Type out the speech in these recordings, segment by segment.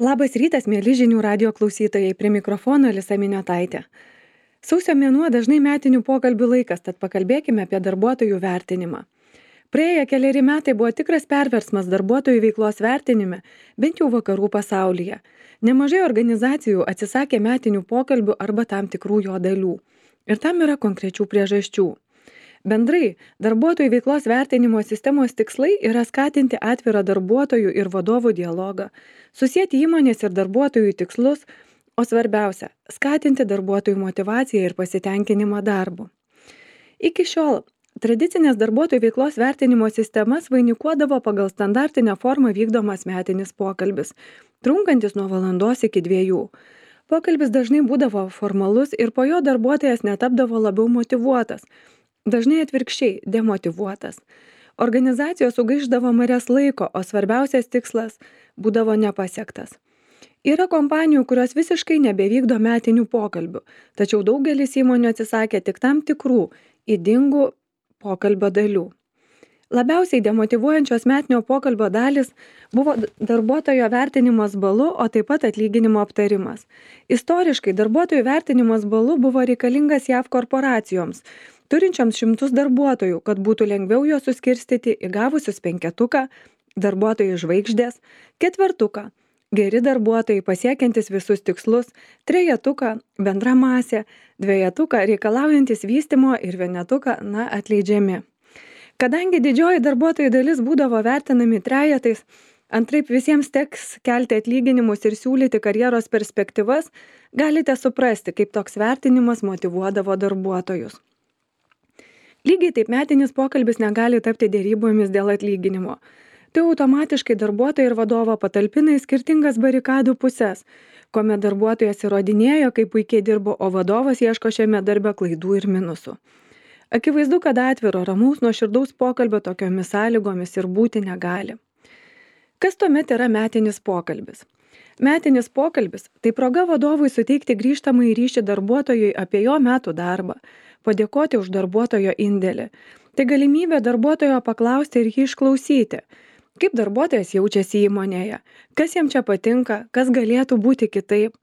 Labas rytas, mėly žinių radio klausytojai, prie mikrofono Alisa Miniotaitė. Sausio mėnuo dažnai metinių pokalbių laikas, tad pakalbėkime apie darbuotojų vertinimą. Praėję keleri metai buvo tikras perversmas darbuotojų veiklos vertinime, bent jau vakarų pasaulyje. Nemažai organizacijų atsisakė metinių pokalbių arba tam tikrų jo dalių. Ir tam yra konkrečių priežasčių. Bendrai, darbuotojų veiklos vertinimo sistemos tikslai yra skatinti atvirą darbuotojų ir vadovų dialogą, susieti įmonės ir darbuotojų tikslus, o svarbiausia - skatinti darbuotojų motyvaciją ir pasitenkinimą darbu. Iki šiol tradicinės darbuotojų veiklos vertinimo sistemas vainikuodavo pagal standartinę formą vykdomas metinis pokalbis, trunkantis nuo valandos iki 2. Pokalbis dažnai būdavo formalus ir po jo darbuotojas netapdavo labiau motyvuotas. Dažnai atvirkščiai demotyvuotas. Organizacijos sugaišdavo marias laiko, o svarbiausias tikslas būdavo nepasiektas. Yra kompanijų, kurios visiškai nebevykdo metinių pokalbių, tačiau daugelis įmonių atsisakė tik tam tikrų ydingų pokalbio dalių. Labiausiai demotyvuojančios metinio pokalbio dalis buvo darbuotojo vertinimas balu, o taip pat atlyginimo aptarimas. Istoriškai darbuotojų vertinimas balu buvo reikalingas JAV korporacijoms, turinčioms šimtus darbuotojų, kad būtų lengviau juos suskirstyti į gavusius 5, darbuotojų žvaigždės, 4, geri darbuotojai pasiekiantis visus tikslus, 3, bendra masė, 2, reikalaujantis vystymo ir 1, atleidžiami. Kadangi didžioji darbuotojų dalis būdavo vertinami trejetais, antraip visiems teks kelti atlyginimus ir siūlyti karjeros perspektyvas, galite suprasti, kaip toks vertinimas motyvuodavo darbuotojus. Lygiai taip metinis pokalbis negali tapti dėrybomis dėl atlyginimo. Tai automatiškai darbuotoją ir vadovą patalpina į skirtingas barikadų puses, kuomet darbuotojas įrodinėjo, kaip puikiai dirbo, o vadovas ieško šiame darbe klaidų ir minusų. Akivaizdu, kad atviro, ramaus, nuoširdaus pokalbio tokiomis sąlygomis ir būti negali. Kas tuomet yra metinis pokalbis? Metinis pokalbis – tai proga vadovui suteikti grįžtamąjį ryšį darbuotojui apie jo metų darbą, padėkoti už darbuotojo indėlį. Tai galimybė darbuotojo paklausti ir jį išklausyti. Kaip darbuotojas jaučiasi įmonėje, kas jam čia patinka, kas galėtų būti kitaip,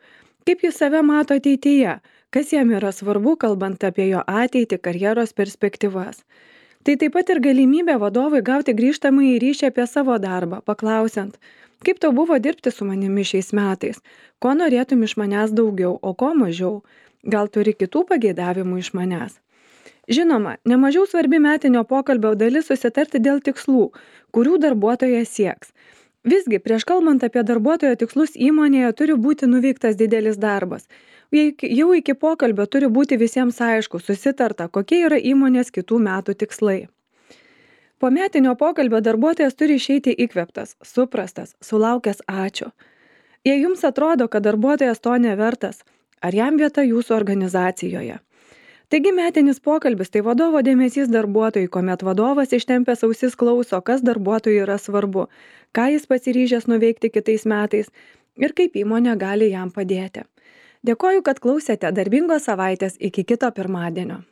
kaip jis save mato ateityje, kas jam yra svarbu, kalbant apie jo ateitį, karjeros perspektyvas. Tai taip pat ir galimybė vadovui gauti grįžtamąjį ryšį apie savo darbą, paklausiant, kaip tau buvo dirbti su manimi šiais metais, ko norėtum iš manęs daugiau, o ko mažiau, gal turi kitų pageidavimų iš manęs. Žinoma, nemažiau svarbi metinio pokalbio dalis susitarti dėl tikslų, kurių darbuotojas sieks. Visgi, prieš kalbant apie darbuotojo tikslus įmonėje turi būti nuveiktas didelis darbas. Jau iki pokalbio turi būti visiems aišku, susitarta, kokie yra įmonės kitų metų tikslai. Po metinio pokalbio darbuotojas turi išeiti įkvėptas, suprastas, sulaukęs ačiū. Jei jums atrodo, kad darbuotojas to nevertas, ar jam vieta jūsų organizacijoje? Taigi metinis pokalbis tai vadovo dėmesys darbuotojui, kuomet vadovas ištempęs ausis klauso, kas darbuotojui yra svarbu, ką jis pasiryžęs nuveikti kitais metais ir kaip įmonė gali jam padėti. Dėkoju, kad klausėte. Darbingos savaitės iki kito pirmadienio.